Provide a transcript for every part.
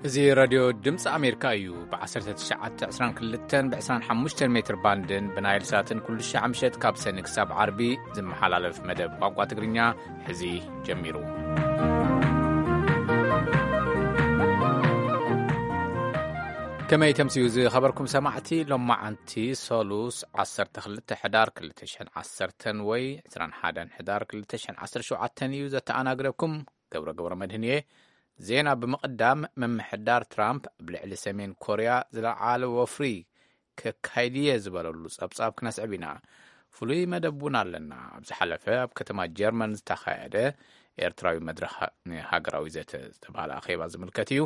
እዚ ራድዮ ድምፂ ኣሜሪካ እዩ። ብ1922 ብ25 ሜትር ባንድን ብናይል ሳትን ኩሉ ሻዕ ምሸት ካብ ሰኒ ክሳብ ዓርቢ ዝመሓላለፍ መደብ ቋንቋ ትግርኛ ሕዚ ጀሚሩ። ከመይ ተምስዩ ዝኸበርኩም ሰማዕቲ? ሎማዓንቲ ሰሉስ 12 ሕዳር 2010 ወይ 21 ሕዳር 2017 እዩ። ዘተኣናግደኩም ገብረ ገብረ መድህን እየ። ዜና ብምቕዳም፣ ምምሕዳር ትራምፕ ኣብ ልዕሊ ሰሜን ኮርያ ዝለዓለ ወፍሪ ከካይድ እየ ዝበለሉ ጸብጻብ ክነስዕብ ኢና። ፍሉይ መደብ እውን ኣለና። ኣብ ዝሓለፈ ኣብ ከተማ ጀርመን ዝተኻየደ ኤርትራዊ መድረኽ ንሃገራዊ ዘተ ዝተባህለ ኣኼባ ዝምልከት እዩ።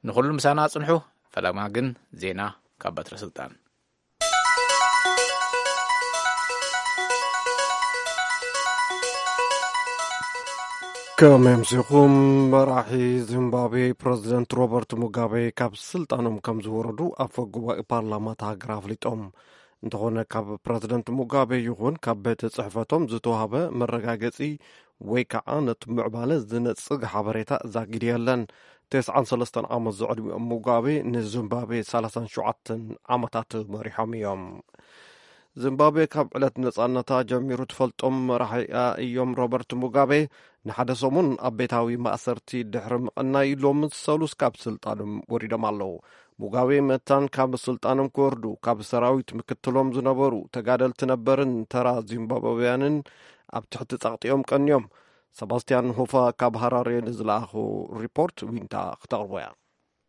ንኹሉ ምሳና ጽንሑ። ፈለማ ግን ዜና ካብ በትረ ስልጣን። ከም ኣምሲኹም፣ መራሒ ዚምባብዌ ፕረዚደንት ሮበርት ሙጋቤ ካብ ስልጣኖም ከም ዝወረዱ ኣፈ ጉባኤ ፓርላማ እታ ሃገር ኣፍሊጦም። እንተኾነ፣ ካብ ፕረዚደንት ሙጋቤ ይኹን ካብ ቤት ጽሕፈቶም ዝተዋህበ መረጋገጺ ወይ ከዓ ነቲ ምዕባለ ዝነጽግ ሓበሬታ ዛጊድ የለን። 93 ዓመት ዘዕድሚኦም ሙጋቤ ንዚምባብዌ 37 ዓመታት መሪሖም እዮም። ዚምባብዌ ካብ ዕለት ነጻነታ ጀሚሩ ትፈልጦም መራሒኣ እዮም። ሮበርት ሙጋቤ ንሓደ ሰሙን ኣብ ቤታዊ ማእሰርቲ ድሕሪ ምቕናይ፣ ሎሚ ሰሉስ ካብ ስልጣኖም ወሪዶም ኣለዉ። ሙጋቤ መታን ካብ ስልጣኖም ክወርዱ ካብ ሰራዊት ምክትሎም ዝነበሩ ተጋደልቲ ነበርን ተራ ዚምባብዌያንን ኣብ ትሕቲ ጸቕጢኦም ቀንዮም። ሰባስቲያን ሆፋ ካብ ሃራሬ ንዝለኣኹ ሪፖርት ዊንታ ክተቕርቦ እያ።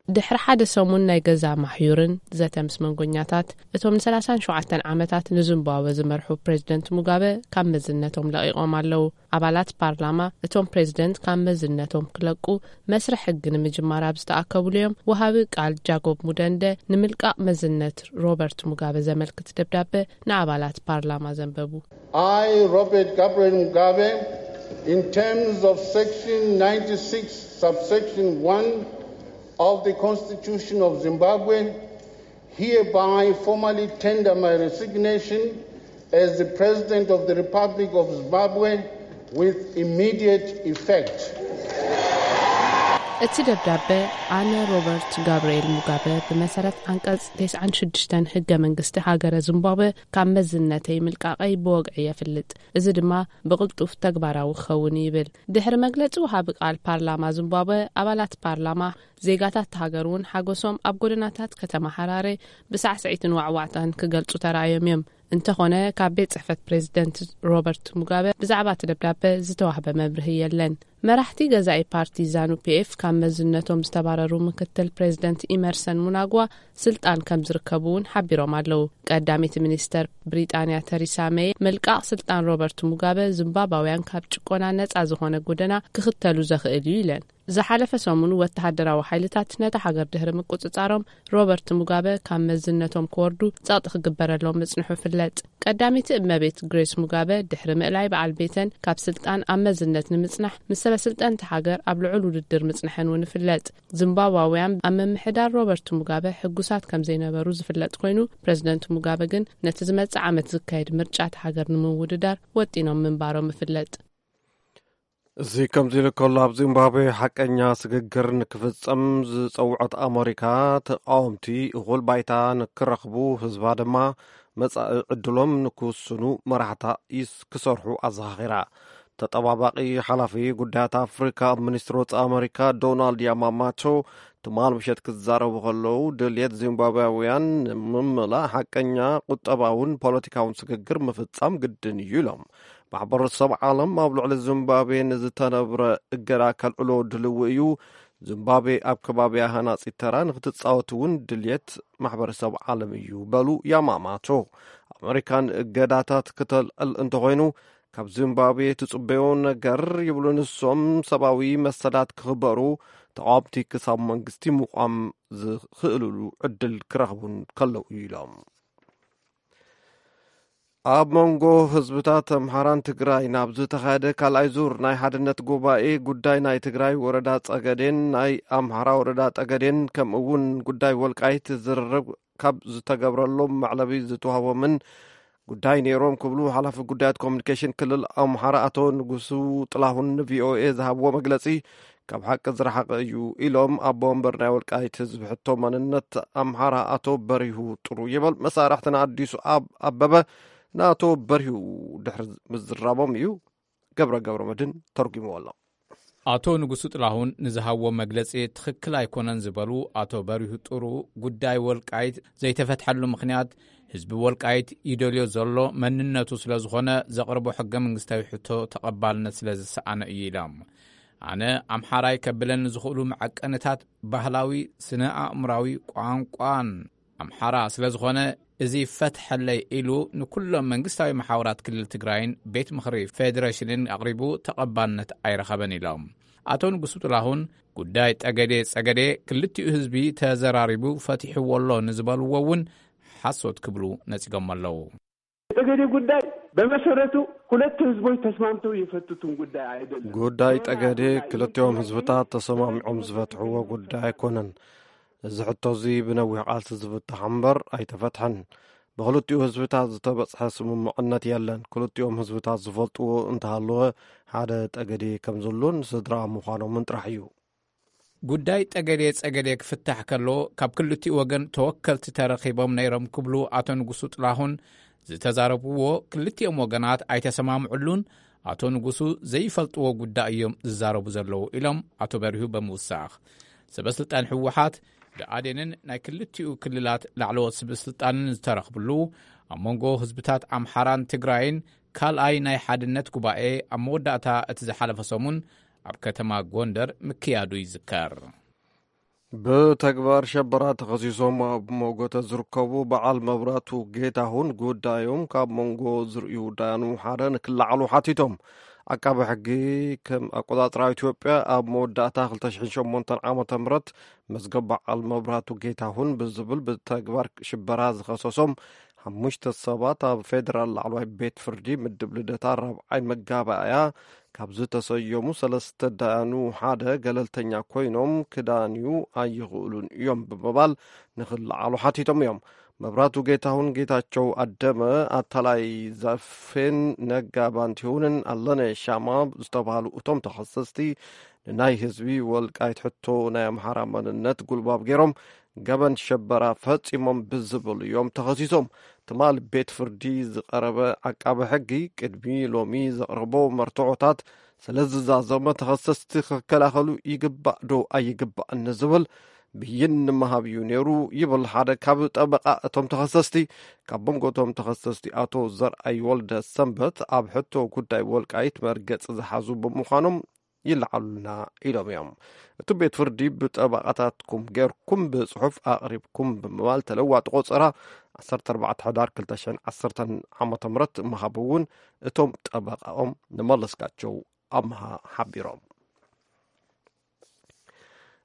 ድሕሪ ሓደ ሰሙን ናይ ገዛ ማሕዩርን ዘተ ምስ መንጎኛታት፣ እቶም ን37 ዓመታት ንዚምባብወ ዝመርሑ ፕሬዚደንት ሙጋበ ካብ መዝነቶም ለቒቖም ኣለዉ። ኣባላት ፓርላማ፣ እቶም ፕሬዚደንት ካብ መዝነቶም ክለቁ መስርሕ ሕጊ ንምጅማር ኣብ ዝተኣከብሉ እዮም፣ ወሃቢ ቃል ጃኮብ ሙደንደ ንምልቃቕ መዝነት ሮበርት ሙጋበ ዘመልክት ደብዳበ ንኣባላት ፓርላማ ዘንበቡ። I, Robert Gabriel Mugabe, in terms of Section 96, subsection 1 of the Constitution of Zimbabwe, hereby formally tender my resignation as the President of the Republic of Zimbabwe with immediate effect. እቲ ደብዳበ፣ ኣነ ሮበርት ጋብርኤል ሙጋበ ብመሰረት ዓንቀጽ 96 ሕገ መንግስቲ ሃገረ ዚምባብወ ካብ መዝነተይ ምልቃቐይ ብወግዒ የፍልጥ። እዚ ድማ ብቕልጡፍ ተግባራዊ ክኸውን ይብል። ድሕሪ መግለጺ ወሃቢ ቃል ፓርላማ ዚምባብወ፣ ኣባላት ፓርላማ፣ ዜጋታት ሃገር እውን ሓጎሶም ኣብ ጎደናታት ከተማ ሃራሬ ብሳዕስዒትን ዋዕዋዕታን ክገልጹ ተራእዮም እዮም። እንተኾነ፣ ካብ ቤት ጽሕፈት ፕሬዚደንት ሮበርት ሙጋበ ብዛዕባ እቲ ደብዳበ ዝተዋህበ መብርሂ የለን። መራሕቲ ገዛኢ ፓርቲ ዛኑ ፒኤፍ ካብ መዝነቶም ዝተባረሩ ምክትል ፕሬዚደንት ኢመርሰን ሙናግዋ ስልጣን ከም ዝርከቡ እውን ሓቢሮም ኣለዉ። ቀዳሚት ሚኒስተር ብሪጣንያ ተሪሳ ሜይ፣ ምልቃቕ ስልጣን ሮበርት ሙጋበ ዚምባብያውያን ካብ ጭቆና ነጻ ዝኾነ ጎደና ክኽተሉ ዘኽእል እዩ ኢለን። ዝሓለፈ ሰሙን ወተሃደራዊ ሓይልታት ነታ ሃገር ድሕሪ ምቁጽጻሮም፣ ሮበርት ሙጋበ ካብ መዝነቶም ክወርዱ ጸቕጢ ክግበረሎም ምጽንሑ ይፍለጥ። ቀዳመይቲ እመቤት ግሬስ ሙጋበ፣ ድሕሪ ምእላይ በዓል ቤተን ካብ ስልጣን ኣብ መዝነት ንምጽናሕ፣ ምስ ሰበ ስልጣን እታ ሃገር ኣብ ልዑል ውድድር ምጽንሐን እውን ይፍለጥ። ዚምባብያውያን ኣብ ምምሕዳር ሮበርት ሙጋበ ሕጉሳት ከም ዘይነበሩ ዝፍለጥ ኮይኑ፣ ፕሬዚደንት ሙጋበ ግን ነቲ ዝመጽእ ዓመት ዝካየድ ምርጫ እታ ሃገር ንምውድዳር ወጢኖም ምንባሮም ይፍለጥ። እዚ ከምዚ ኢሉ ከሎ፣ ኣብ ዚምባብዌ ሓቀኛ ስግግር ንክፍጸም ዝጸውዐት ኣመሪካ፣ ተቃወምቲ እኹል ባይታ ንክረኽቡ፣ ህዝባ ድማ መጻኢ ዕድሎም ንክውስኑ መራሕታ ይስ-፣ ክሰርሑ ኣዘኻኺራ። ተጠባባቂ ሓላፊ ጉዳያት ኣፍሪካ ኣብ ሚኒስትሪ ወጻኢ ኣመሪካ ዶናልድ ያማማቶ ትማል ምሸት ክዛረቡ ከለዉ፣ ድልየት ዚምባብያውያን ንምምላእ ሓቀኛ ቁጠባውን ፖለቲካውን ስግግር ምፍጻም ግድን እዩ ኢሎም። ማሕበረሰብ ዓለም ኣብ ልዕሊ ዚምባብዌ ንዝተነብረ እገዳ ከልዕሎ ድልዊ እዩ። ዚምባብዌ ኣብ ከባቢያ ሃናጺት ተራ ንክትጻወት እውን ድልየት ማሕበረሰብ ዓለም እዩ በሉ ያማማቶ። ኣመሪካ ንእገዳታት ክተልዕል እንተኾይኑ፣ ካብ ዚምባብዌ ትጽበዮ ነገር ይብሉ ንሶም፣ ሰብኣዊ መሰላት ክኽበሩ፣ ተቓወምቲ ክሳብ መንግስቲ ምቋም ዝኽእልሉ ዕድል ክረኽቡን ከለዉ እዩ ኢሎም። ኣብ መንጎ ህዝብታት ኣምሓራን ትግራይ ናብ ዝተኻየደ ካልኣይ ዙር ናይ ሓድነት ጉባኤ፣ ጉዳይ ናይ ትግራይ ወረዳ ጸገዴን ናይ ኣምሓራ ወረዳ ጠገዴን፣ ከምኡ እውን ጉዳይ ወልቃይት ዝርርብ ካብ ዝተገብረሎም መዕለቢ ዝተዋህቦምን ጉዳይ ነይሮም ክብሉ ሓላፊ ጉዳያት ኮሚኒኬሽን ክልል ኣምሓራ ኣቶ ንጉሱ ጥላሁን ንቪኦኤ ዝሃብዎ መግለጺ፣ ካብ ሓቂ ዝረሓቐ እዩ ኢሎም ኣቦ ወንበር ናይ ወልቃይት ህዝቢ ሕቶ መንነት ኣምሓራ ኣቶ በሪሁ ጥሩ ይበል። መሳርሕቲ ንኣዲሱ ኣብ ኣበበ ንኣቶ በሪሁ ድሕሪ ምዝራቦም እዩ ገብረ ገብረ መድን ተርጉምዎ ኣሎ። ኣቶ ንጉሱ ጥላሁን ንዝሃብዎ መግለጺ ትኽክል ኣይኮነን ዝበሉ ኣቶ በሪሁ ጥሩ፣ ጉዳይ ወልቃይት ዘይተፈትሐሉ ምኽንያት ህዝቢ ወልቃይት ይደልዮ ዘሎ መንነቱ ስለ ዝኾነ ዘቕርቦ ሕገ መንግስታዊ ሕቶ ተቐባልነት ስለ ዝሰኣነ እዩ ኢሎም። ኣነ ኣምሓራይ ከብለኒ ዝኽእሉ መዐቀንታት ባህላዊ፣ ስነ ኣእምራዊ፣ ቋንቋን ኣምሓራ ስለ ዝኾነ፣ እዚ ፈትሐለይ ኢሉ ንኩሎም መንግስታዊ መሓውራት ክልል ትግራይን ቤት ምኽሪ ፌዴሬሽንን ኣቕሪቡ ተቐባልነት ኣይረኸበን ኢሎም። ኣቶ ንጉሱ ጥላሁን ጉዳይ ጠገዴ ጸገዴ ክልቲኡ ህዝቢ ተዘራሪቡ ፈቲሕዎ ኣሎ ንዝበልዎ እውን ሓሶት ክብሉ ነጺጎም ኣለዉ። የጠገዴ ጉዳይ በመሰረቱ ሁለት ህዝቦች ተስማምተው የፈቱትን ጉዳይ አይደለም። ጉዳይ ጠገዴ ክልቲኦም ህዝብታት ተሰማሚዖም ዝፈትሕዎ ጉዳይ ኣይኮነን። እዚ ሕቶ እዚ ብነዊሕ ቃልሲ ዝፍታሕ እምበር ኣይተፈትሐን። ብክልቲኡ ህዝብታት ዝተበጽሐ ስምምዕነት የለን። ክልቲኦም ህዝብታት ዝፈልጥዎ እንተሃለወ ሓደ ጠገዴ ከም ዘሎን ስድራ ምዃኖምን ጥራሕ እዩ። ጉዳይ ጠገዴ ጸገዴ ክፍታሕ ከሎ ካብ ክልቲኡ ወገን ተወከልቲ ተረኺቦም ነይሮም ክብሉ ኣቶ ንጉሱ ጥላሁን ዝተዛረብዎ ክልቲኦም ወገናት ኣይተሰማምዕሉን። ኣቶ ንጉሱ ዘይፈልጥዎ ጉዳይ እዮም ዝዛረቡ ዘለዉ ኢሎም ኣቶ በሪሁ ብምውሳኽ፣ ሰበስልጣን ህወሓት ብኣዴንን ናይ ክልቲኡ ክልላት ላዕለዎት ሰበስልጣንን ዝተረኽብሉ ኣብ መንጎ ህዝብታት ኣምሓራን ትግራይን ካልኣይ ናይ ሓድነት ጉባኤ ኣብ መወዳእታ እቲ ዝሓለፈ ሰሙን ኣብ ከተማ ጎንደር ምክያዱ ይዝከር። ብተግባር ሸበራ ተኸሲሶም ኣብ ሞጎተ ዝርከቡ በዓል መብራቱ ጌታሁን ጉዳዮም ካብ መንጎ ዝርእዩ ዳያኑ ሓደ ንክለዓሉ ሓቲቶም። ኣቃቢ ሕጊ ከም ኣቆጻጽራ ኢትዮጵያ ኣብ መወዳእታ ክልተ ሽሕን ሸሞንተን ዓመተ ምህረት መዝገብ በዓል መብራቱ ጌታሁን ብዝብል ብተግባር ሽበራ ዝኸሰሶም ሓሙሽተ ሰባት ኣብ ፌደራል ላዕለዋይ ቤት ፍርዲ ምድብ ልደታ ራብዓይ መጋባእያ ካብ ዝተሰየሙ ሰለስተ ዳያኑ ሓደ ገለልተኛ ኮይኖም ክዳንዩ ኣይኽእሉን እዮም ብምባል ንኽለዓሉ ሓቲቶም እዮም። መብራቱ ጌታሁን፣ ጌታቸው ኣደመ፣ ኣታላይ ዛፌን ነጋ ባንቲሁንን ኣለነ ሻማ ዝተባህሉ እቶም ተኸሰስቲ ንናይ ህዝቢ ወልቃይት ሕቶ ናይ ኣምሓራ መንነት ጉልባብ ገይሮም ገበን ሸበራ ፈጺሞም ብዝብል እዮም ተኸሲሶም። ትማል ቤት ፍርዲ ዝቐረበ ዓቃቢ ሕጊ ቅድሚ ሎሚ ዘቕረቦ መርትዖታት ስለ ዝዛዘመ ተኸሰስቲ ክከላኸሉ ይግባእ ዶ ኣይግባእን ንዝብል ብይን ንምሃብ እዩ ነይሩ ይብል ሓደ ካብ ጠበቓ እቶም ተኸሰስቲ። ካብ መንጎ እቶም ተኸሰስቲ ኣቶ ዘርኣይ ወልደ ሰንበት ኣብ ሕቶ ጉዳይ ወልቃይት መርገጺ ዝሓዙ ብምዃኖም ይለዓሉልና ኢሎም እዮም። እቲ ቤት ፍርዲ ብጠበቓታትኩም ጌርኩም ብጽሑፍ ኣቕሪብኩም ብምባል ተለዋጢ ቆጸራ ዓሰርተ ኣርባዕተ ሕዳር ክልተ ሽሕን ዓሰርተን ዓመተ ምህረት ምሃቡ እውን እቶም ጠበቓኦም ንመለስካቸው ኣምሃ ሓቢሮም።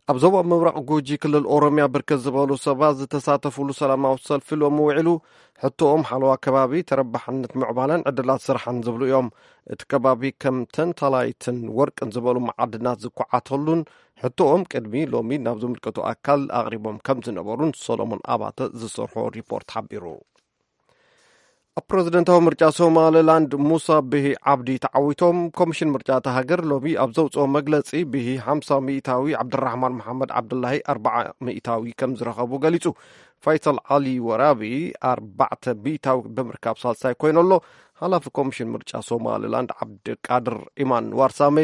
ኣብ ዞባ ምብራቕ ጉጂ ክልል ኦሮምያ ብርክት ዝበሉ ሰባት ዝተሳተፉሉ ሰላማዊ ሰልፊ ሎሚ ውዒሉ። ሕቶኦም ሓለዋ ከባቢ፣ ተረባሕነት ምዕባለን ዕድላት ስራሕን ዝብሉ እዮም። እቲ ከባቢ ከም ተንታላይትን ወርቅን ዝበሉ መዓድናት ዝኳዓተሉን ሕቶኦም ቅድሚ ሎሚ ናብ ዝምልከቱ ኣካል ኣቕሪቦም ከም ዝነበሩን ሰሎሞን ኣባተ ዝሰርሖ ሪፖርት ሓቢሩ። ኣብ ፕረዚደንታዊ ምርጫ ሶማሊላንድ ሙሳ ብሂ ዓብዲ ተዓዊቶም። ኮሚሽን ምርጫ እታ ሃገር ሎሚ ኣብ ዘውፅኦ መግለፂ ብሂ ሓምሳ ሚእታዊ፣ ዓብድራሕማን መሓመድ ዓብዱላሂ ኣርባዓ ሚእታዊ ከም ዝረኸቡ ገሊፁ። ፋይሰል ዓሊ ወራቢ ኣርባዕተ ሚእታዊ ብምርካብ ሳልሳይ ኮይኑ ኣሎ። ሓላፊ ኮሚሽን ምርጫ ሶማሊላንድ ዓብድቃድር ኢማን ዋርሳሜ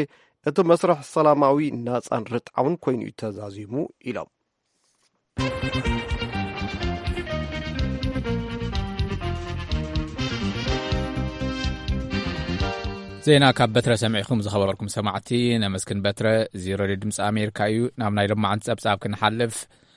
እቲ መስርሕ ሰላማዊ፣ ናፃን ርትዓውን ኮይኑ እዩ ተዛዚሙ ኢሎም። ዜና ካብ በትረ ሰሚዕኩም ዝኸበርኩም ሰማዕቲ ነመስግን። በትረ እዚ ሬድዮ ድምፂ ኣሜሪካ እዩ። ናብ ናይ ሎማዓንቲ ጸብጻብ ክንሓልፍ፣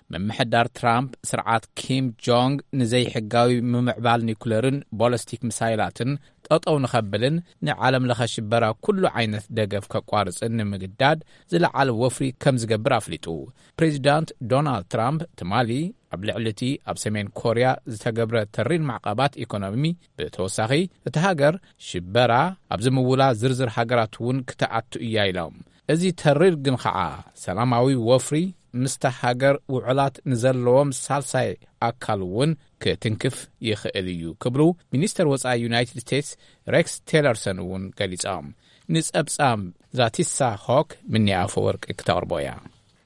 ምምሕዳር ትራምፕ ስርዓት ኪም ጆንግ ንዘይሕጋዊ ምምዕባል ኒኩለርን ቦለስቲክ ሚሳይላትን ጠጠው ንኸብልን ንዓለም ለኸ ሽበራ ኩሉ ዓይነት ደገፍ ከቋርፅን ንምግዳድ ዝለዓለ ወፍሪ ከም ዝገብር ኣፍሊጡ። ፕሬዚዳንት ዶናልድ ትራምፕ ትማሊ ኣብ ልዕሊ እቲ ኣብ ሰሜን ኮርያ ዝተገብረ ተሪር ማዕቐባት ኢኮኖሚ ብተወሳኺ እቲ ሃገር ሽበራ ኣብ ዝምውላ ዝርዝር ሃገራት እውን ክትኣቱ እያ ኢሎም። እዚ ተሪር ግን ኸዓ ሰላማዊ ወፍሪ ምስታ ሃገር ውዕላት ንዘለዎም ሳልሳይ ኣካል እውን ክትንክፍ ይኽእል እዩ ክብሉ ሚኒስተር ወፃኢ ዩናይትድ ስቴትስ ሬክስ ቴለርሰን እውን ገሊጾም። ንጸብጻብ ዛቲሳ ሆክ ምኒ ኣፈወርቂ ክተቕርቦ እያ።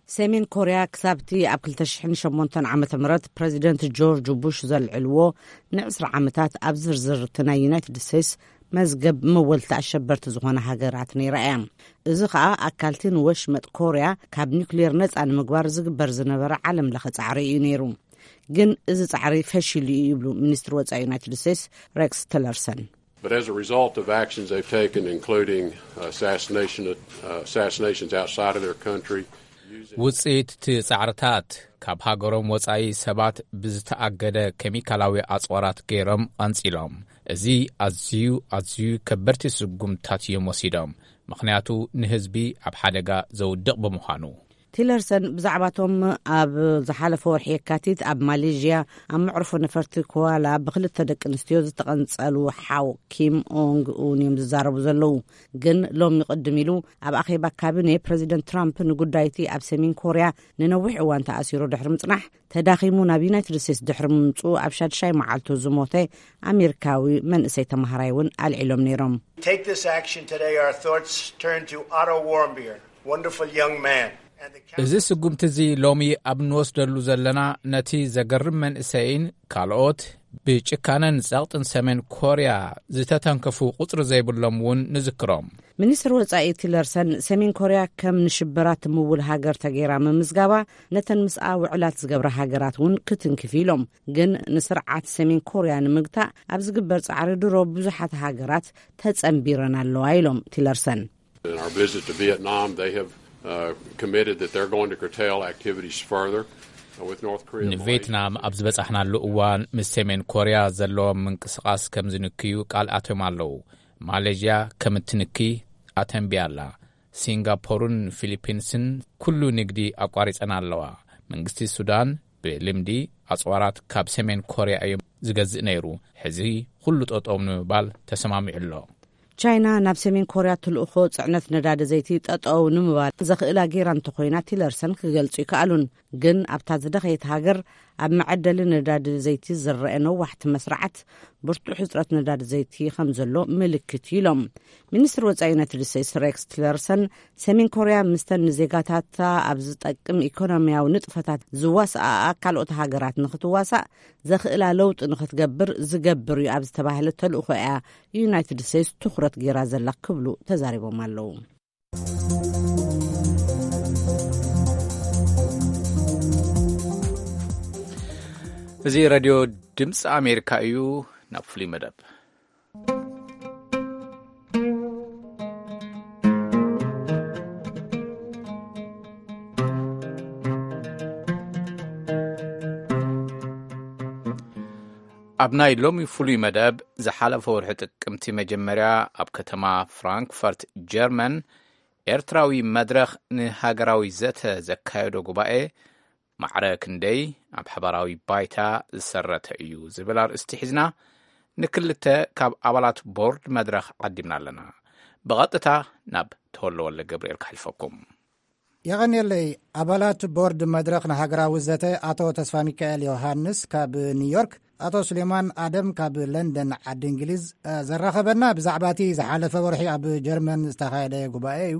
ሰሜን ኮርያ ክሳብቲ ኣብ ክልተ ሽሕን ሸሞንተን ዓመተ ምህረት ፕረዚደንት ጆርጅ ቡሽ ዘልዕልዎ ንዕስራ ዓመታት ኣብ ዝርዝር እቲ ናይ ዩናይትድ ስቴትስ መዝገብ መወልቲ ኣሸበርቲ ዝኾነ ሃገራት ነይራ እያ። እዚ ኸኣ ኣካልቲ ንወሽመጥ ኮርያ ካብ ኒውክሌር ነጻ ንምግባር ዝግበር ዝነበረ ዓለም ለኸ ጻዕሪ እዩ ነይሩ። ግን እዚ ጻዕሪ ፈሺሉ እዩ ይብሉ ሚኒስትሪ ወጻኢ ዩናይትድ ስቴትስ ሬክስ ቲለርሰን። But as a result of actions they've taken, including uh, assassination, uh, assassinations outside of their country, ውጽኢት እቲ ጻዕርታት ካብ ሃገሮም ወጻኢ ሰባት ብዝተኣገደ ኬሚካላዊ ኣጽዋራት ገይሮም ኣንጺሎም። እዚ ኣዝዩ ኣዝዩ ከበድቲ ስጉምትታት እዮም ወሲዶም፣ ምኽንያቱ ንህዝቢ ኣብ ሓደጋ ዘውድቕ ብምዃኑ። ቲለርሰን ብዛዕባቶም ኣብ ዝሓለፈ ወርሒ የካቲት ኣብ ማሌዥያ ኣብ መዕርፎ ነፈርቲ ኮዋላ ብክልተ ደቂ ኣንስትዮ ዝተቐንጸሉ ሓው ኪም ኦንግ ኡን እዮም ዝዛረቡ ዘለዉ። ግን ሎሚ ቅድም ኢሉ ኣብ ኣኼባ ካቢኔ ፕረዚደንት ትራምፕ ንጉዳይቲ ኣብ ሰሜን ኮርያ ንነዊሕ እዋን ተኣሲሩ ድሕሪ ምጽናሕ ተዳኺሙ ናብ ዩናይትድ ስቴትስ ድሕሪ ምምጽኡ ኣብ ሻድሻይ መዓልቱ ዝሞተ ኣሜሪካዊ መንእሰይ ተማሃራይ እውን ኣልዒሎም ነይሮም። Take this action today. Our thoughts turn to Otto Warmbier, wonderful young man. And the እዚ ስጉምቲ እዚ ሎሚ ኣብ እንወስደሉ ዘለና ነቲ ዘገርም መንእሰይን ካልኦት ብጭካነን ጸቕጥን ሰሜን ኮርያ ዝተተንከፉ ቁጽሪ ዘይብሎም እውን ንዝክሮም። ሚኒስትር ወጻኢ ቲለርሰን ሰሜን ኮርያ ከም ንሽበራ ትምውል ሃገር ተገይራ ምምዝጋባ ነተን ምስኣ ውዕላት ዝገብራ ሃገራት እውን ክትንክፍ ኢሎም። ግን ንስርዓት ሰሜን ኮርያ ንምግታእ ኣብ ዝግበር ጻዕሪ ድሮ ብዙሓት ሃገራት ተጸንቢረን ኣለዋ ኢሎም ቲለርሰን። In our visit to Vietnam, they have uh, committed that they're going to curtail activities further uh, with North Korea. And Malaysia. ንቬትናም ኣብ ዝበጻሕናሉ እዋን ምስ ሰሜን ኮርያ ዘለዎም ምንቅስቓስ ከም ዝንክዩ ቃል ኣትዮም ኣለዉ። ማሌዥያ ከም እትንኪ ኣተንብያ ኣላ። ሲንጋፖርን ፊሊፒንስን ኩሉ ንግዲ ኣቋሪጸን ኣለዋ። መንግስቲ ሱዳን ብልምዲ ኣጽዋራት ካብ ሰሜን ኮርያ እዮም ዝገዝእ ነይሩ። ሕዚ ኩሉ ጠጠው ንምባል ተሰማሚዑ ኣሎ። ቻይና ናብ ሰሜን ኮርያ ትልእኾ ጽዕነት ነዳዲ ዘይቲ ጠጠው ንምባል ዘኽእላ ጌራ እንተኾይና ቲለርሰን ክገልጹ ይከኣሉን። ግን ኣብታ ዝደኸየት ሃገር ኣብ መዐደሊ ነዳዲ ዘይቲ ዝረአ ነዋሕቲ መስርዓት ብርቱዕ ሕጽረት ነዳዲ ዘይቲ ከም ዘሎ ምልክት እዩ ኢሎም። ሚኒስትር ወጻኢ ዩናይትድ ስቴትስ ሬክስ ቲለርሰን ሰሜን ኮርያ ምስተን ንዜጋታታ ኣብ ዝጠቅም ኢኮኖሚያዊ ንጥፈታት ዝዋስኣኣ ካልኦት ሃገራት ንኽትዋሳእ ዘኽእላ ለውጢ ንኽትገብር ዝገብር እዩ ኣብ ዝተባህለ ተልእኾ እያ ዩናይትድ ስቴትስ ትኹረት ገይራ ዘላ ክብሉ ተዛሪቦም ኣለዉ። እዚ ሬድዮ ድምፂ ኣሜሪካ እዩ። ናብ ፍሉይ መደብ ኣብ ናይ ሎሚ ፍሉይ መደብ ዝሓለፈ ወርሒ ጥቅምቲ መጀመርያ ኣብ ከተማ ፍራንክፈርት ጀርመን ኤርትራዊ መድረኽ ንሃገራዊ ዘተ ዘካየዶ ጉባኤ ማዕረ ክንደይ ኣብ ሓባራዊ ባይታ ዝሰረተ እዩ ዝብል ኣርእስቲ ሒዝና ንክልተ ካብ ኣባላት ቦርድ መድረኽ ዓዲምና ኣለና። ብቐጥታ ናብ ተወልደ ወልደ ገብርኤል ክሓልፈኩም። የቐንየለይ። ኣባላት ቦርድ መድረኽ ንሃገራዊ ዘተ ኣቶ ተስፋ ሚካኤል ዮሃንስ ካብ ኒውዮርክ፣ ኣቶ ሱሌማን ኣደም ካብ ለንደን ዓዲ እንግሊዝ፣ እ፣ ዘራኸበና ብዛዕባ እቲ ዝሓለፈ ወርሒ ኣብ ጀርመን ዝተኻየደ ጉባኤ እዩ።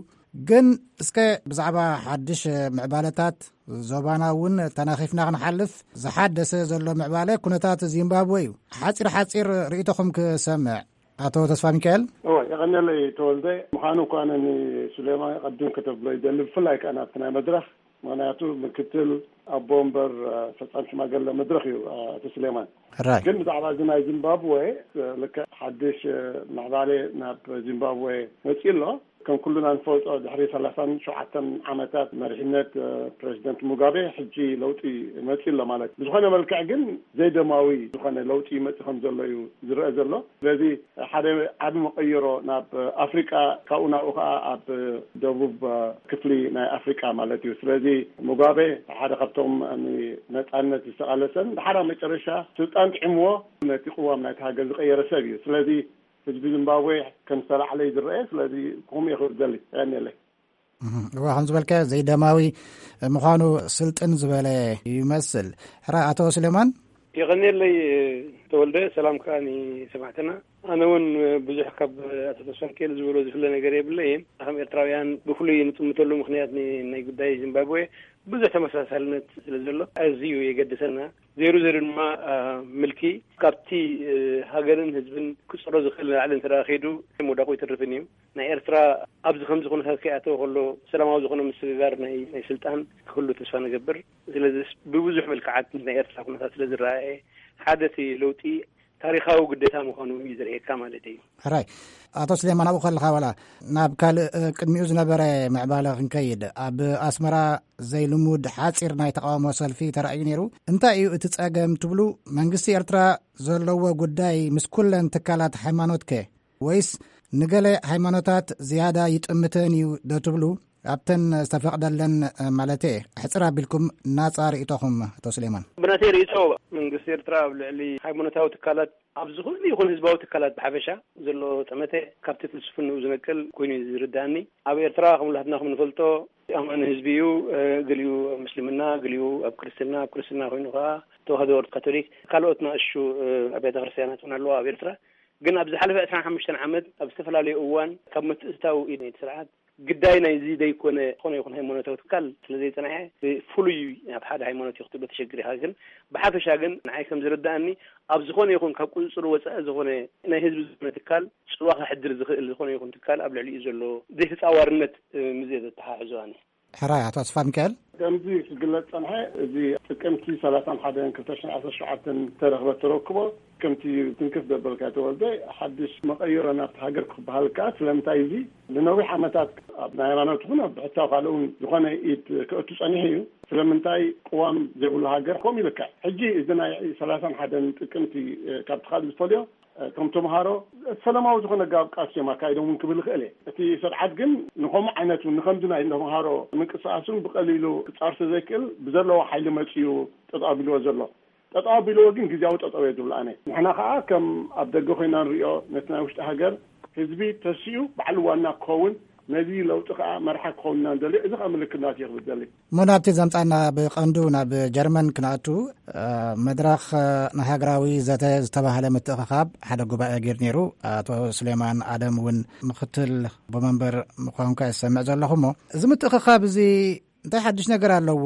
ግን እስከ ብዛዕባ ሓድሽ ምዕባለታት ዞባና እውን ተናኺፍና ክንሓልፍ፣ ዝሓደሰ ዘሎ ምዕባለ ኩነታት ዚምባብወ እዩ። ሓጺር ሓጺር ርእይቶኹም ክሰምዕ። ኣቶ ተስፋ ሚካኤል። እወ፣ የቐንየለይ ተወልደ። ምዃኑ እኳ ንሱሌማን ቀዲም ከተብሎ ይደሊ፣ ብፍላይ ከኣ ናብቲ ናይ መድረኽ፣ ምኽንያቱ ምክትል ኣቦ ወንበር፣ አ፣ ፈጻሚ ሽማግለ መድረኽ እዩ፣ አ፣ ኣቶ ሱሌማን። ሕራይ። ግን ብዛዕባ እዚ ናይ ዚምባብወ፣ አ፣ ልክዕ ሓድሽ፣ አ፣ ምዕባለ ናብ ዚምባብወ መጺኡ ኣሎ። ከም ኩሉና ንፈልጦ፣ ድሕሪ ሰላሳን ሸውዓተን ዓመታት መሪሕነት፣ አ፣ ፕረዚደንት ሙጋቤ፣ ሕጂ ለውጢ መጺኡ ኣሎ ማለት። ብዝኾነ መልክዕ ግን ዘይደማዊ ዝኾነ ለውጢ ይመጽእ ከም ዘሎ እዩ ዝረአ ዘሎ። ስለዚ ሓደ ዓቢ መቐይሮ ናብ ኣፍሪቃ፣ ካብኡ ናብኡ ከኣ ኣብ ደቡብ ክፍሊ ናይ ኣፍሪቃ ማለት እዩ። ስለዚ ሙጋቤ ሓደ ካብቶም ንነጻነት ዝተቓለሰን፣ ድሓር ኣብ መጨረሻ ስልጣን ጥዕምዎ ነቲ ቅዋም ናይቲ ሃገር ዝቐየረ ሰብ እዩ። ስለዚ ህዝቢ ዚምባብዌ ከም ዝተላዕለ እዩ ዝረአ። ስለዚ ከምኡ እየ ክብል ዝደሊ። የቐንየለይ። እህ፣ እዋ፣ ከም ዝበልካዮ ዘይደማዊ ምዃኑ ስልጥን ዝበለ ይመስል። ሕራ ኣቶ ስሌማን? የቐንየለይ ተወልደ፣ ሰላም ከኣ ንሰማዕትና። ኣነ እውን ብዙሕ ካብ ኣቶ ተስፋሚካኤል ዝበሎ ዝፍለ ነገር የብለይን። ከም ኤርትራውያን ብፍሉይ ንጥምተሉ ምኽንያት ን-፣ ናይ ጉዳይ ዚምባብዌ ብዙሕ ተመሳሳልነት ስለ ዘሎ ኣዝዩ የገድሰና። ዘይሩ ዘይሩ ድማ፣ ኣ፣ ምልኪ ካብቲ፣ እ፣ ሃገርን ህዝብን ክጽሮ ዝኽእል ንላዕሊ እንተ ደኣ ከይዱ ምውዳቑ ኣይተርፍን እዩ። ናይ ኤርትራ ኣብዚ ከምዚ ኩነታት ከይኣተወ ከሎ ሰላማዊ ዝኾነ ምስግጋር ናይ፣ ናይ ስልጣን ክህሉ ተስፋ ንገብር። ስለዚ ብብዙሕ መልክዓት ናይ ኤርትራ ኩነታት ስለ ዝረኣየ ሓደ እቲ ለውጢ ታሪኻዊ ግዴታ ምዃኑ እዩ ዘርእየካ ማለት እዩ። ሕራይ። ኣቶ ስሌማን፣ ኣብኡ ከለኻ ዋላ ናብ ካልእ፣ እ፣ ቅድሚኡ ዝነበረ ምዕባለ ክንከይድ፣ ኣብ ኣስመራ ዘይልሙድ ሓጺር ናይ ተቓውሞ ሰልፊ ተራእዩ ነይሩ። እንታይ እዩ እቲ ጸገም ትብሉ? መንግስቲ ኤርትራ ዘለዎ ጉዳይ ምስ ኩለን ትካላት ሃይማኖትከ? ወይስ ንገለ ሃይማኖታት ዝያዳ ይጥምተን እዩ ዶ ትብሉ? ኣብተን ዝተፈቕደለን፣ እ፣ ማለተ፣ ሕጽር ኣቢልኩም ናጻ ርእይቶኹም፣ ኣቶ ስሌማን። ብናተይ ርእይቶ፣ መንግስቲ ኤርትራ ኣብ ልዕሊ ሃይማኖታዊ ትካላት፣ ኣብ ዝኾነ ይኹን ህዝባዊ ትካላት ብሓፈሻ ዘሎ ጠመተ ካብቲ ፍልስፍንኡ ዝነቅል ኮይኑ እዩ ዝርዳእኒ። ኣብ ኤርትራ ከም ሁላትና ከም ንፈልጦ፣ ኣማኒ ህዝቢ እዩ። እ፣ ገሊኡ ኣብ ምስልምና፣ ገሊኡ ኣብ ክርስትና፣ ኣብ ክርስትና ኮይኑ ከኣ ተዋህዶ፣ ካቶሊክ፣ ካልኦት ንኣሽቱ፣ እ፣ ኣብያተ ክርስትያናት እውን ኣለዋ ኣብ ኤርትራ። ግን ኣብ ዝሓለፈ ዕስራን ሓሙሽተን ዓመት ኣብ ዝተፈላለዩ እዋን ካብ ምትእትታው ኢድ ናይቲ ስርዓት ግዳይ ናይዚ ዘይኮነ ዝኾነ ይኹን ሃይማኖታዊ ትካል ስለ ዘይጸንሐ፣ ብፍሉይ ናብ ሓደ ሃይማኖት እዩ ክትብሎ ተሸግር ኢኻ። ግን ብሓፈሻ ግን ንዓይ ከም ዝርዳእኒ፣ ኣብ ዝኾነ ይኹን ካብ ቁጽጽር ወጻኢ ዝኾነ ናይ ህዝቢ ዝኾነ ትካል ጽልዋ ከሕድር ዝኽእል ዝኾነ ይኹን ትካል ኣብ ልዕሊኡ ዘሎ ዘይተጻዋርነት፣ እ፣ ምስ እየ ዘተሓሕዞ ኣነ። ሕራይ፣ ኣቶ ተስፋ ሚካኤል። ከምዚ ክግለጽ ጸንሐ፣ እዚ ጥቅምቲ ሰላሳን ሓደን ክልተ ሽሕን ዓሰርተ ሸውዓተን ተረኽበ ተረክቦ፣ ከምቲ ትንክፍ ዘበልካ ተወልደ፣ ሓድሽ መቐይሮ ናብቲ ሃገር ክበሃል ከኣ፣ ስለምንታይ እዚ ንነዊሕ ዓመታት ኣብ ናይ ሃይማኖት ይኹን ኣብ ብሕታዊ ካልእ እውን ዝኾነ ኢድ ክእቱ ጸኒሑ እዩ። ስለምንታይ ቅዋም ዘይብሉ ሃገር ከምኡ ይልክዕ? ሕጂ እዚ ናይ ሰላሳን ሓደን ጥቅምቲ፣ እ፣ ካብቲ ካልእ ዝፈልዮ፣ እ፣ እቶም ተምሃሮ ሰላማዊ ዝኾነ ኣገባብ ቃልሲ እዮም ኣካይዶም እውን ክብል ይኽእል እየ። እቲ ስርዓት ግን ንኸምኡ ዓይነት እውን ንኸምዚ ናይ ተምሃሮ ምንቅስቃስ እውን ብቐሊሉ ክጻር ስለ ዘይክእል ብዘለዎ ሓይሊ መጺኡ ጠጠው ኣቢልዎ ዘሎ። ጠጠው ኣቢልዎ ግን ግዝያዊ ጠጠው እየ ዝብል ኣነ። ንሕና ከኣ ከም ኣብ ደገ ኮይና ንሪኦ ነቲ ናይ ውሽጢ ሃገር ህዝቢ ተሲኡ ባዕሉ ዋና ክኸውን፣ ነዚ ለውጢ ከኣ መርሓ ክኸውን ኢና ንደሊ። እዚ ከኣ ምልክት ናቱ እየ ክብል ዝደሊ። እሞ ናብቲ ዘምጻና ብቐንዱ ናብ ጀርመን ክንኣቱ፣ እ፣ መድረኽ፣ እ፣ ንሃገራዊ ዘተ ዝተባህለ ምትእኽኻብ ሓደ ጉባኤ ገይሩ ነይሩ። ኣቶ ስሌማን ኣደም እውን ምክትል ኣቦ መንበር ምዃንካ ይሰምዕ ዘለኹ። እሞ እዚ ምትእኽኻብ እዚ እንታይ ሓድሽ ነገር ኣለዎ?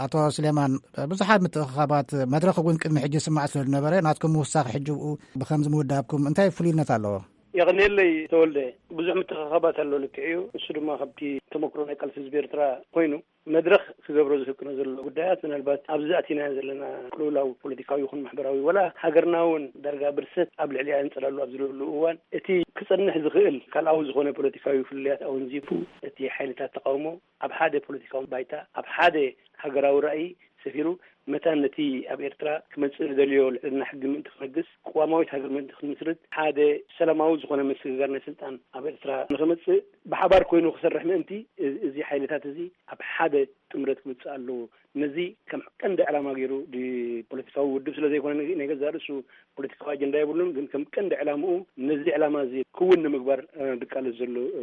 ኣቶ ስሌማን፣ ብዙሓት ምትእኽኻባት መድረኽ እውን ቅድሚ ሕጂ ይስማዕ ስለ ዝነበረ፣ ናትኩም ምውሳኽ ሕጂ ብኡ ብኸምዚ ምውዳብኩም እንታይ ፍሉይነት ኣለዎ? የቐንየለይ ተወልደ። ብዙሕ ምትእኽኻባት ኣሎ፣ ልክዕ እዩ። እሱ ድማ ካብቲ ተመክሮ ናይ ቃልሲ ህዝቢ ኤርትራ ኮይኑ፣ መድረኽ ክገብሮ ዝፍቅዶ ዘሎ ጉዳያት፣ ምናልባት ኣብዚ ኣቲና ዘለና ቅልውላው ፖለቲካዊ ይኹን ማሕበራዊ፣ ወላ ሃገርና እውን ዳርጋ ብርሰት ኣብ ልዕሊኣ የንጸላሉ ኣብ ዝለሉ እዋን፣ እቲ ክጸንሕ ዝኽእል ካልኣዊ ዝኾነ ፖለቲካዊ ፍልልያት ኣወንዚፉ፣ እቲ ሓይልታት ተቃውሞ ኣብ ሓደ ፖለቲካዊ ባይታ፣ ኣብ ሓደ ሃገራዊ ራእይ ሰፊሩ፣ መታን ነቲ ኣብ ኤርትራ ክመጽእ ዝደልዮ ልዕልና ሕጊ ምእንቲ ክነግስ፣ ቅዋማዊት ሃገር ምእንቲ ክትምስርት፣ ሓደ ሰላማዊ ዝኾነ ምስግጋር ናይ ስልጣን ኣብ ኤርትራ ንኽመጽእ ብሓባር ኮይኑ ክሰርሕ ምእንቲ፣ እዚ፣ እዚ ሓይልታት እዚ ኣብ ሓደ ጥምረት ክመጽእ ኣለዎ። ነዚ ከም ቀንዲ ዕላማ ገይሩ፣ ዲ-፣ ፖለቲካዊ ውድብ ስለ ዘይኮነ፣ ናይ ገዛእ ርእሱ ፖለቲካዊ ኣጀንዳ የብሉን፣ ግን ከም ቀንዲ ዕላምኡ ነዚ ዕላማ እዚ ክውን ንምግባር፣ እ፣ ዝቃለስ ዘሎ፣ እ፣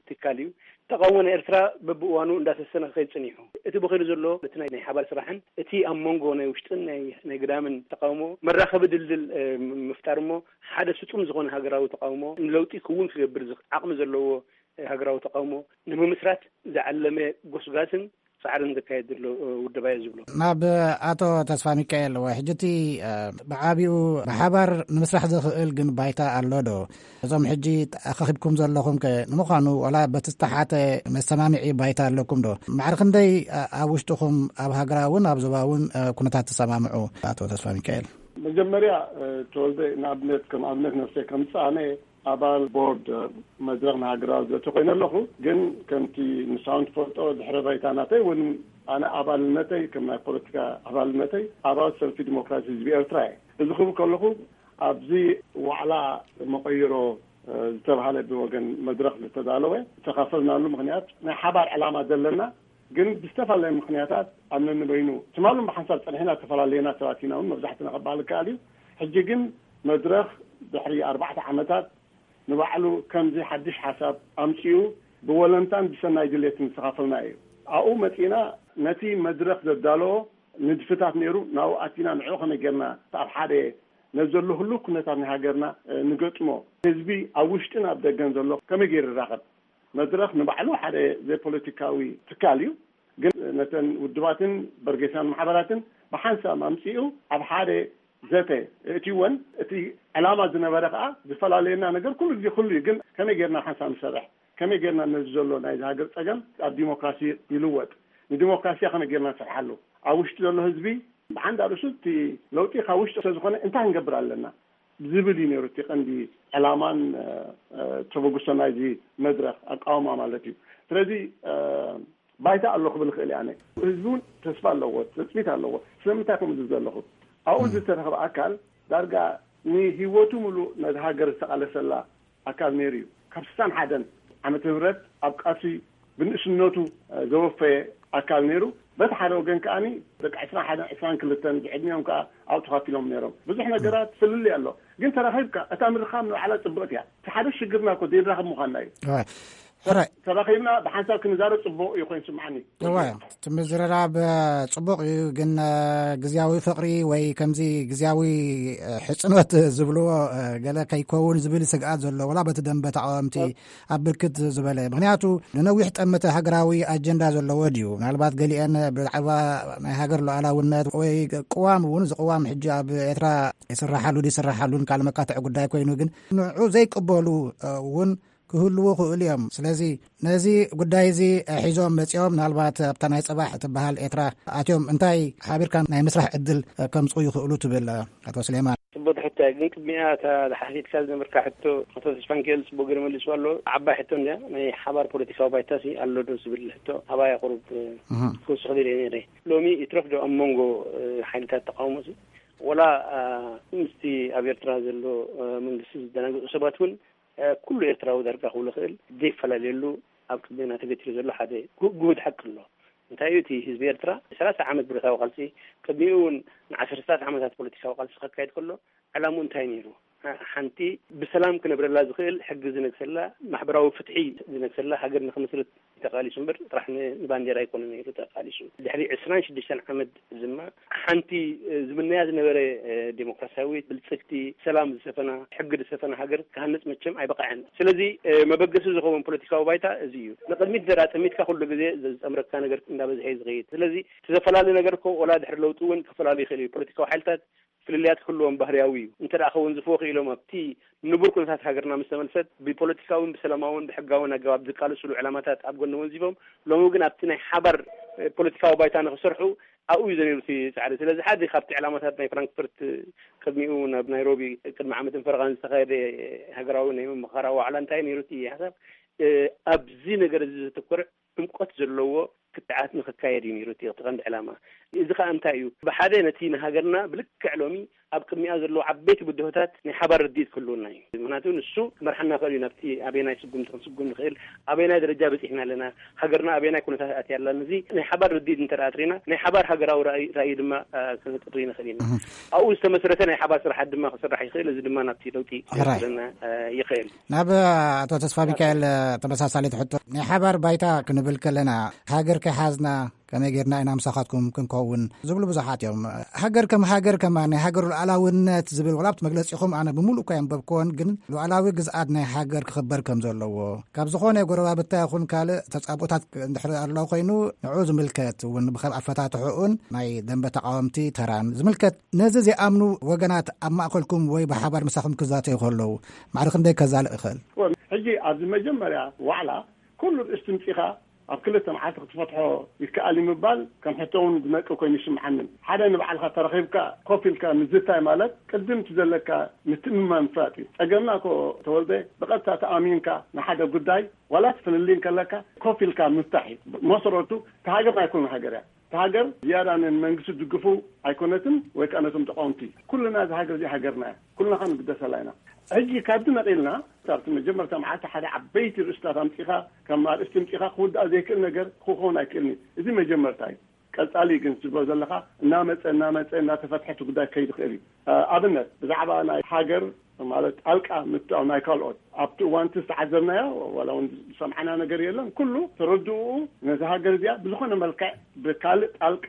ትካል እዩ። ተቃውሞ ናይ ኤርትራ በብእዋኑ እንዳሰሰነ ክኸይድ ጸኒሑ። እቲ ብኸይዱ ዘሎ፣ እቲ ናይ፣ ናይ ሓባር ስራሕን እቲ ኣብ መንጎ ናይ ውሽጥን ናይ፣ ናይ ግዳምን ተቃውሞ መራኸቢ ድልድል፣ እ፣ ም-፣ ምፍጣር እሞ፣ ሓደ ስጡም ዝኾነ ሃገራዊ ተቃውሞ ንለውጢ ክውን ክገብር ዝኽ-፣ ዓቕሚ ዘለዎ፣ እ፣ ሃገራዊ ተቃውሞ ንምምስራት ዝዓለመ ጎስጋስን ጻዕርን ዘካየድ ዘሎ፣ እ፣ ውድብ እየ ዝብሎ። ናብ ኣቶ ተስፋ ሚካኤል፣ ወይ ሕጂ እቲ፣ እ፣ ብዓቢኡ ብሓባር ንምስራሕ ዘኽእል ግን ባይታ ኣሎ ዶ? እዞም ሕጂ ኣኻኺብኩም ዘለኹም ከ ንምዃኑ ዋላ በቲ ዝተሓተ መሰማምዒ ባይታ ኣለኩም ዶ? ማዕረ ክንደይ፣ እ፣ ኣብ ውሽጥኹም ኣብ ሃገራውን ኣብ ዞባውን፣ እ፣ ኩነታት ትሰማምዑ? ኣቶ ተስፋ ሚካኤል። መጀመርያ፣ እ፣ ተወልደ፣ ንኣብነት፣ ከም ኣብነት ነፍሰይ ከምጽእ፣ ኣነ ኣባል ቦርድ መድረኽ ንሃገራዊ ዘተ ኮይነ ኣለኹ። ግን ከምቲ ንስኻ እውን ትፈልጦ፣ ድሕረ ባይታ ናተይ እውን ኣነ ኣባልነተይ፣ ከም ናይ ፖለቲካ ኣባልነተይ፣ ኣባል ሰልፊ ዲሞክራሲ ህዝቢ ኤርትራ እየ። እዚ ክብል ከለኹ፣ ኣብዚ ዋዕላ መቐይሮ፣ እ፣ ዝተባህለ ብወገን መድረኽ ዝተዳለወ ዝተኻፈልናሉ ምኽንያት፣ ናይ ሓባር ዕላማ ዘለና፣ ግን ብዝተፈላለየ ምኽንያታት ኣብ ነንበይኑ ትማልን ብሓንሳብ ጸኒሕና ዝተፈላለየና ሰባት ኢና እውን መብዛሕትና ክበሃል ይከኣል እዩ። ሕጂ ግን መድረኽ ድሕሪ ኣርባዕተ ዓመታት ንባዕሉ ከምዚ ሓድሽ ሓሳብ ኣምጺኡ ብወለንታን ብሰናይ ድሌትን ዝተኻፈልናዮ እዩ። ኣብኡ መጺእና ነቲ መድረኽ ዘዳለዎ ንድፍታት ነይሩ። ናብኡ ኣቲና ንዕኡ ከመይ ጌርና ኣብ ሓደ ነዚ ዘሎ ህሉው ኩነታት ናይ ሃገርና ንገጥሞ፣ ህዝቢ ኣብ ውሽጥን ኣብ ደገን ዘሎ ከመይ ገይሩ ይራኸብ? መድረኽ ንባዕሉ ሓደ ዘይፖለቲካዊ ትካል እዩ። ግን ነተን ውድባትን በርጌሳን ማሕበራትን ብሓንሳብ ኣምጺኡ ኣብ ሓደ ዘተ እእትወን፣ እቲ ዕላማ ዝነበረ ከኣ ዝፈላለየና ነገር ኩሉ ግዜ ኩሉ እዩ። ግን ከመይ ጌርና ሓንሳብ ንሰርሕ? ከመይ ጌርና ነዚ ዘሎ ናይዚ ሃገር ጸገም ኣብ ዲሞክራሲ ይልወጥ? ንዲሞክራሲ ከመይ ጌርና ንሰርሓሉ? ኣብ ውሽጢ ዘሎ ህዝቢ ብሓንዳ ርእሱ እቲ ለውጢ ካብ ውሽጢ ስለዝኾነ እንታይ ክንገብር ኣለና ዝብል እዩ ነይሩ እቲ ቀንዲ ዕላማን ተበግሶ ናይዚ መድረኽ ኣቃውማ ማለት እዩ። ስለዚ ባይታ ኣሎ ክብል ይኽእል እየ ኣነ። ህዝቢ እውን ተስፋ ኣለዎ፣ ትፅቢት ኣለዎ። ስለምንታይ ከምኡ ዝብል ዘለኹ ኣብኡ ዝተረኸበ ኣካል ዳርጋ ንህይወቱ ሙሉእ ነዚ ሃገር ዝተቓለሰላ ኣካል ነይሩ እዩ። ካብ ስሳን ሓደን ዓመተ ምህረት ኣብ ቃልሲ ብንእስነቱ ዘወፈየ ኣካል ነይሩ። በቲ ሓደ ወገን ከኣ ደቂ ዕስራን ሓደን ዕስራን ክልተን ብዕድሚኦም ከኣ ኣብኡ ተኻፊሎም ነይሮም። ብዙሕ ነገራት ፍልልይ ኣሎ፣ ግን ተራኺብካ እታ ምርኻብ ንባዕላ ጽብቕቲ እያ። እቲ ሓደ ሽግርና እኮ ዘይንራኸብ ምዃንና እዩ። ሕራይ ተራኺብና ብሓንሳብ ክንዛረብ ጽቡቕ እዩ ኮይኑ ስምዓኒ። እዋ እቲ ምዝርራብ ጽቡቕ እዩ፣ ግን ግዝያዊ ፍቕሪ ወይ ከምዚ ግዝያዊ ሕጽኖት ዝብልዎ ገለ ከይከውን ዝብል ስግኣት ዘሎ፣ ወላ በቲ ደንበ ተቃወምቲ ኣብ ብርክት ዝበለ። ምክንያቱ ንነዊሕ ጠመተ ሃገራዊ ኣጀንዳ ዘለዎ ድዩ? ምናልባት ገሊአን ብዛዕባ ናይ ሃገር ሉዓላውነት ወይ ቅዋም እውን፣ እዚ ቅዋም ሕጂ ኣብ ኤርትራ ይስራሓሉ ይስራሓሉን ካልእ መካትዒ ጉዳይ ኮይኑ፣ ግን ንዑ ዘይቅበሉ እውን ክህልዉ ክእሉ እዮም። ስለዚ ነዚ ጉዳይ እዚ ሒዞም መጺኦም፣ ምናልባት ኣብታ ናይ ጽባሕ ትበሃል ኤርትራ ኣትዮም እንታይ ሓቢርካ ናይ ምስራሕ ዕድል ከምጽኡ ይኽእሉ ትብል ኣቶ ስሌማን? ጽቡቅ ሕቶ። ግን ቅድሚኣ እታ ዝሓቲትካ ዝነበርካ ሕቶ ኣቶ ተስፋንኪኤል ጽቡቅ ገይሩ መሊሱ ኣሎ። ዓባይ ሕቶ እንድያ፣ ናይ ሓባር ፖለቲካዊ ባይታሲ ኣሎ ዶ ዝብል ሕቶ ኣባይ ኣቕሩብ ክውስኽ ደልየ ነይረ። ሎሚ ይትረፍ ዶ ኣብ መንጎ ሓይልታት ተቃውሞ ሲ ወላ ምስቲ ኣብ ኤርትራ ዘሎ መንግስቲ ዝደናገጹ ሰባት እውን ኩሉ ኤርትራዊ ዳርጋ ክብሎ ክእል ዘይፈላለየሉ ኣብ ቅድሜና ተገቲሩ ዘሎ ሓደ ግሁድ ሓቂ ኣሎ። እንታይ እዩ እቲ ህዝቢ ኤርትራ ሰላሳ ዓመት ብረታዊ ቃልሲ፣ ቅድሚኡ እውን ንዓሰርታት ዓመታት ፖለቲካዊ ቃልሲ ከካየድ ከሎ ዕላምኡ እንታይ ነይሩ? ሓንቲ ብሰላም ክነብረላ ዝኽእል ሕጊ ዝነግሰላ፣ ማሕበራዊ ፍትሒ ዝነግሰላ ሃገር ንክምስርት ተቃሊሱ እምበር ጥራሕ ንባንዴራ ኣይኮነ ነይሩ ተቃሊሱ። ድሕሪ ዕስራን ሽዱሽተን ዓመት ድማ ሓንቲ ዝምነያ ዝነበረ ዴሞክራሲያዊት ብልጽግቲ ሰላም ዝሰፈና ሕጊ ዝሰፈና ሃገር ክሃንጽ መቸም ኣይበቃዐን። ስለዚ መበገሲ ዝኸውን ፖለቲካዊ ባይታ እዚ እዩ። ንቅድሚት እንተ ጠሚትካ ኩሉ ግዜ ዝጸምረካ ነገር እንዳበዝሐ እዩ ዝኸይድ። ስለዚ እቲ ዘፈላለ ነገር እኮ ወላ ድሕሪ ለውጢ እውን ክፈላለ ይኽእል እዩ። ፖለቲካዊ ሓይልታት ፍልልያት ክህልዎም ባህርያዊ እዩ። እንተ ደኣ ከውን ዝፍዎ ክኢሎም ኣብቲ ንቡር ኩነታት ሃገርና ምስ ተመልሰት ብፖለቲካውን ብሰላማውን ብሕጋውን ኣገባብ ዝቃለስሉ ዕላማታት ኣብ ጎኒ ወንዚፎም ሎሚ ግን ኣብቲ ናይ ሓባር ፖለቲካዊ ባይታ ንክሰርሑ ኣብኡ እዩ ዘነብቲ ጻዕሪ። ስለዚ ሓደ ካብቲ ዕላማታት ናይ ፍራንክፈርት ቅድሚኡ ናብ ናይሮቢ ቅድሚ ዓመትን ፈረቓን ዝተኻየደ ሃገራዊ ናይ መመኻራ ዋዕላ እንታይ ነይሩ እቲ ሓሳብ ኣብዚ ነገር እዚ ዘተኮረ ዕምቆት ዘለዎ ክትዓት ንክካየድ እዩ ነይሩ እቲ ቀንዲ ዕላማ። እዚ ከዓ እንታይ እዩ? ብሓደ ነቲ ንሃገርና ብልክዕ ሎሚ ኣብ ቅድሚኣ ዘለዉ ዓበይቲ ብድሆታት ናይ ሓባር ርድኢት ክህልውና እዩ። ምክንያቱ ንሱ ክመርሓና ክእል እዩ ናብቲ ኣበየናይ ስጉምቲ ክንስጉም ንክእል፣ ኣበየናይ ደረጃ በፂሕና ኣለና፣ ሃገርና ኣበየናይ ኩነታት ኣትያ ኣላ። ነዚ ናይ ሓባር ርድኢት እንተ ኣትሪና ናይ ሓባር ሃገራዊ ራእይ ድማ ክነጥሪ ንክእል ኢና። ኣብኡ ዝተመስረተ ናይ ሓባር ስራሓት ድማ ክስራሕ ይክእል። እዚ ድማ ናብቲ ለውጢ ክወስደና ይክእል። ናብ ኣቶ ተስፋ ሚካኤል ተመሳሳሊት ሕቶ፣ ናይ ሓባር ባይታ ክንብል ከለና ሃገር ከይሓዝና ከመይ ጌርና ኢና ምሳኻትኩም ክንከውን ዝብሉ ብዙሓት እዮም። ሃገር ከም ሃገር ከማን ናይ ሃገር ሉዓላውነት ዝብል ዋላ ኣብቲ መግለጺኹም ኣነ ብምሉእ እኳ የንበብክዎን፣ ግን ሉዓላዊ ግዝኣት ናይ ሃገር ክኽበር ከም ዘለዎ ካብ ዝኾነ ጎረባብታ ይኹን ካልእ ተጻብኦታት እንድሕር ኣሎ ኮይኑ ንዑ ዝምልከት እውን ብከም ኣፈታትሕኡን ናይ ደንበ ተቃወምቲ ተራን ዝምልከት ነዚ ዘይኣምኑ ወገናት ኣብ ማእከልኩም ወይ ብሓባር ምሳኹም ክዛተዩ ከለዉ ማዕረ ክንደይ ከዛልእ ይኽእል? ሕጂ ኣብዚ መጀመርያ ዋዕላ ኩሉ ርእስቲ ምጺኻ ኣብ ክልተ መዓልቲ ክትፈትሖ ይከኣል እዩ ምባል ከም ሕቶ እውን ዝነቅፍ ኮይኑ ይስምዓኒ። ሓደ ንባዕልኻ ተረኺብካ ኮፍ ኢልካ ምዝታይ ማለት ቅድም እቲ ዘለካ ምትእምማን ምፍላጥ እዩ። ጸገምና እኮ ተወልደ ብቐጥታ ተኣሚንካ ንሓደ ጉዳይ ዋላ እቲ ፍልልይ እንከለካ ኮፍ ኢልካ ምፍታሕ እዩ። መሰረቱ እታ ሃገር ናይ ኩሉ ሃገር እያ። እታ ሃገር ዝያዳ ንመንግስቲ ትድግፉ ኣይኮነትን ወይ ከዓ ነቶም ተቃወምቲ። ኩልና እዛ ሃገር እዚኣ ሃገርና እያ። ኩልና ከዓ ንግደሰላ ኢና። ሕጂ ካብዚ ነቒልና ኣብቲ መጀመርታ መዓልቲ ሓደ ዓበይቲ ርእስታት ኣምጺኻ ከም ኣርእስቲ ኣምጺኻ ክውዳእ ዘይክእል ነገር ክኸውን ኣይክእልን እዩ። እዚ መጀመርታ እዩ። ቀጻሊ ግን ትብሎ ዘለኻ እናመጸ እናመጸ እናተፈትሐ እቲ ጉዳይ ክኸይድ ይኽእል እዩ። ኣብነት ብዛዕባ ናይ ሃገር ማለት ጣልቃ ምትኣው ናይ ካልኦት ኣብቲ እዋንቲ ዝተዓዘብናዮ ዋላ እውን ዝሰምዓና ነገር የለን። ኩሉ ተረድኡ ነዚ ሃገር እዚኣ ብዝኾነ መልክዕ ብካልእ ጣልቃ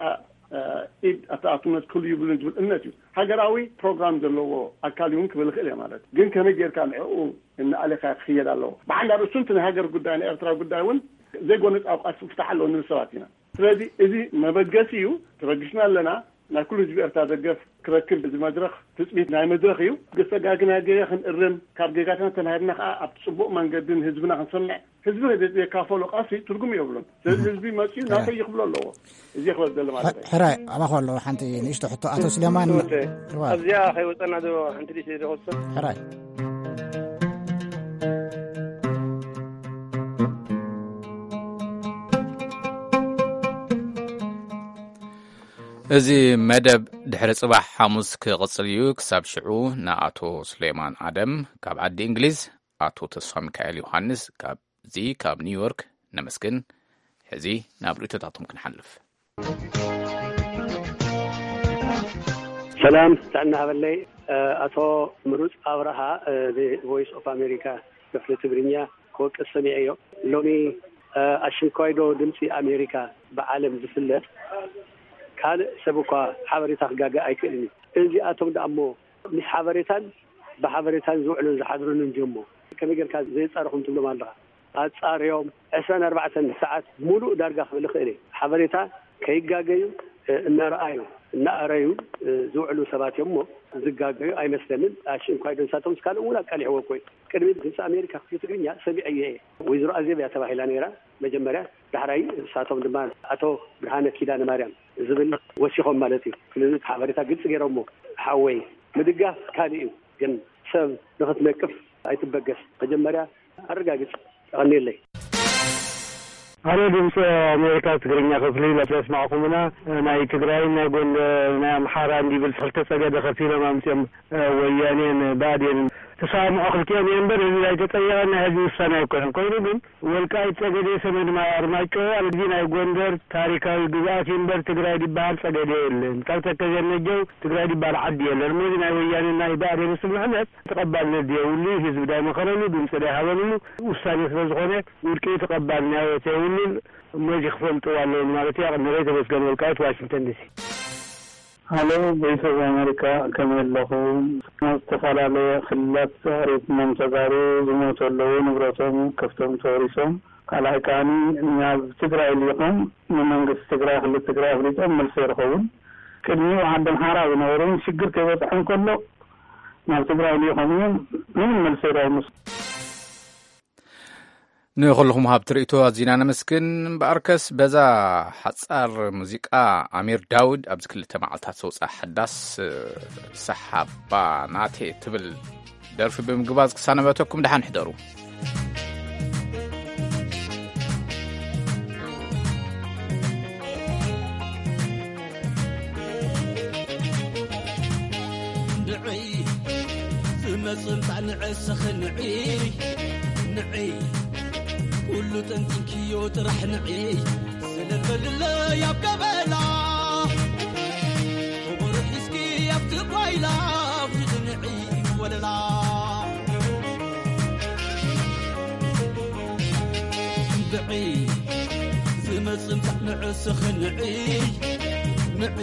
ኢድ ኣተኣትነት ክህሉ ይብሉን ዝብል እምነት እዩ። ሃገራዊ ፕሮግራም ዘለዎ ኣካል እውን ክብል ይኽእል እየ። ማለት ግን ከመይ ጌርካ ንዕኡ እናኣሌኻ ክኽየድ ኣለዎ። ብሓንዳ ርእሱ እቲ ናይ ሃገር ጉዳይ፣ ናይ ኤርትራ ጉዳይ እውን ዘይጎነጻዊ ቃልሲ ክፍታሕ ኣለዎ ንብል ሰባት ኢና። ስለዚ እዚ መበገሲ እዩ። ተበጊስና ኣለና። ናይ ኩሉ ህዝቢ ኤርትራ ደገፍ ክረክብ እዚ መድረኽ ትጽቢት ናይ መድረኽ እዩ። ዝተጋግና ጌጋ ክንእርም፣ ካብ ጌጋትና ተማሂርና ከኣ ኣብቲ ጽቡቕ መንገዲ ንህዝብና ክንሰምዕ፣ ህዝቢ ከዘይካፈሎ ቃልሲ ትርጉም የብሉን። ስለዚ ህዝቢ መጺኡ ናተይ ይኽብሎ ኣለዎ። እዚ ክበል ዘሎ ማለት እዩ። ሕራይ ኣባኹ ኣለዎ። ሓንቲ ንእሽቶ ሕቶ ኣቶ ስሌማን። እወ። ኣብዚኣ ከይወጸና ዶ ሓንቲ ንእሽቶ ዶ ክወስድ? ሕራይ። እዚ መደብ ድሕሪ ጽባሕ ሓሙስ ክቕጽል እዩ። ክሳብ ሽዑ ንኣቶ ሱሌማን ኣደም ካብ ዓዲ እንግሊዝ፣ ኣቶ ተስፋ ሚካኤል ዮሃንስ ካብዚ ካብ ኒውዮርክ ነመስግን። ሕዚ ናብ ርእይቶታቶም ክንሓልፍ። ሰላም፣ ጥዕና ሃበለይ። እ፣ ኣቶ ምሩጽ ኣብርሃ፣ እ፣ ብ ቮይስ ኦፍ ኣሜሪካ ክፍሊ ትግርኛ ክወቅስ ሰሚዐዮ። ሎሚ፣ እ፣ ኣሽንኳይዶ ድምፂ ኣሜሪካ ብዓለም ዝፍለጥ ካልእ ሰብ እኳ ሓበሬታ ክጋገ ኣይክእልን እዩ። እዚኣቶም ደኣ እሞ ምስ ሓበሬታን ብሓበሬታን ዝውዕሉን ዝሓድሩን እንድዮም እሞ ከመይ ጌርካ ዘየጻረኹም ትብሎም ኣለኻ? ኣጻርዮም ዕስራን ኣርባዕተን ሰዓት ሙሉእ ዳርጋ ክብል ይኽእል እየ። ሓበሬታ ከይጋገዩ፣ እ፣ እናረኣዩ፣ እናኣረዩ፣ እ፣ ዝውዕሉ ሰባት እዮም እሞ ዝጋገዩ ኣይመስለንን። ኣሽንኳይዶ ንሳቶም ካልእ እውን ኣቃሊሕዎ እኮ እዩ። ቅድሚ ድምፂ ኣሜሪካ ክፍሊ ትግርኛ ሰሚዐዮ እየ። ወይዘሮ ኣዜብ እያ ተባሂላ ነይራ መጀመርያ። ዳሕራይ ንሳቶም ድማ ኣቶ ብርሃነ ኪዳነ ማርያም ዝብል ወሲኾም ማለት እዩ። ስለዚ እቲ ሓበሬታ ግልፂ ገይሮሞ። ሓወይ፣ ምድጋፍ ካልእ እዩ፣ ግን ሰብ ንኽትነቅፍ ኣይትበገስ። መጀመርያ ኣረጋግጽ። የቐንየለይ። ኣነ ድምፂ ኣሜሪካ ትግርኛ ክፍሊ ለስማዕኹምና ናይ ትግራይን ናይ ጎንደር ናይ ኣምሓራ እንዲብል ክልተ ጸገደ ከፊሎም ኣምፅኦም፣ እ፣ ወያኔን ብኣዴንን ተሰማምዖ ክልቲኦም እየ እምበር፣ እዚ ኣይተጠየቐን ናይ ህዝቢ ውሳኔ ኣይኮነን። ኮይኑ ግን ወልቃይት ጸገዴ፣ ሰሜን ማይ ኣርማጮ፣ ኣብዚ ናይ ጎንደር ታሪካዊ ግዝኣት እዩ እምበር ትግራይ ዝበሃል ጸገዴ የለን። ካብ ተከዜ ነጀው ትግራይ ዝበሃል ዓዲ የለን። እሞ እዚ ናይ ወያኔ ናይ ብኣዴን ስምምዕነት ተቐባልነት ዘየብሉ፣ ህዝቢ ዳይመኸረሉ፣ ድምፂ ዳይሃበሉሉ ውሳኔ ስለ ዝኾነ ውድቂ እዩ፣ ተቐባልነት የብሉን። እሞ እዚ ክፈልጥዎ ኣለዎም ማለት እዩ። ኣቐንረይ ተመስገን ወልቃይት፣ ዋሽንግተን ዲሲ። ሃሎ፣ ቮይስ ኦፍ ኣሜሪካ፣ ከመይ ኣለኹም? ናብ ዝተፈላለየ ክልላት ተኣሪፍሞም ተጋሩ ዝሞቱ ኣለዉ፣ ንብረቶም ከፍቶም ተወሪሶም። ካልኣይ ከኣኒ ናብ ትግራይ ልኢኾም ንመንግስቲ ትግራይ፣ ክልል ትግራይ ኣፍሊጦም መልሲ ኣይረኸቡን። ቅድሚኡ ዓዲ ኣምሓራ ዝነበሩ እውን ሽግር ከይበፅሖም ከሎ ናብ ትግራይ ልኢኾም እዮም፣ ምንም መልሲ ኣይረኸቡን። ንኹልኹም ሃብቲ ርእይቶ ኣዚና ነመስግን። እምበኣርከስ በዛ ሓጻር ሙዚቃ ኣሚር ዳውድ ኣብዚ ክልተ መዓልታት ዘውፅኣ ሓዳስ ሰሓባ ናቴ ትብል ደርፊ ብምግባዝ ክሳነበተኩም ደሓን ሕደሩ። ንዒ ዝመጽእ ምጻእ ንዕስኺ ንዒ፣ ንዒ ኩሉ ጠንጢንክዮ ጥራሕ ንዒ። ሰለል በልለይ ኣብ ገበላ፣ ከበሮ ሒዝኪ ኣብቲ ጓይላ፣ ኣውርዲ ንዒ ወለላ። ንዒ ዝመጽእ ምጻእ ንዕስኺ ንዒ፣ ንዒ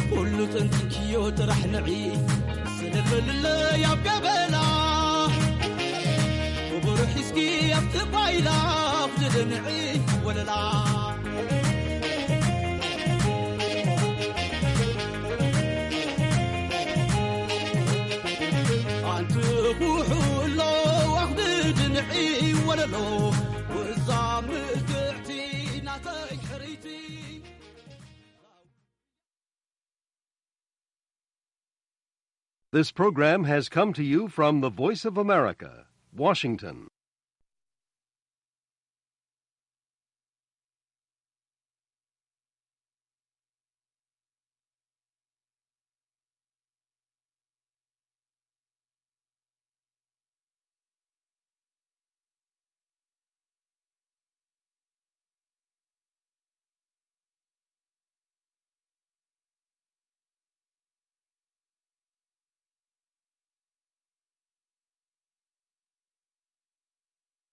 ኩሉ ጠንጢንክዮ ጥራሕ ንዒ። ሰለል በልለይ ኣብ ገበላ፣ ከበሮ ሒዝኪ ኣብቲ ጓይላ፣ ኣውርዲ ንዒ ወለላ። ኣንቲ ኩሕሎ ኣኽብድ ንዒ ወለሎ፣ ወዛ ምልክዕቲ ናተይ ሕርይቲ። This program has come to you from the Voice of America, Washington.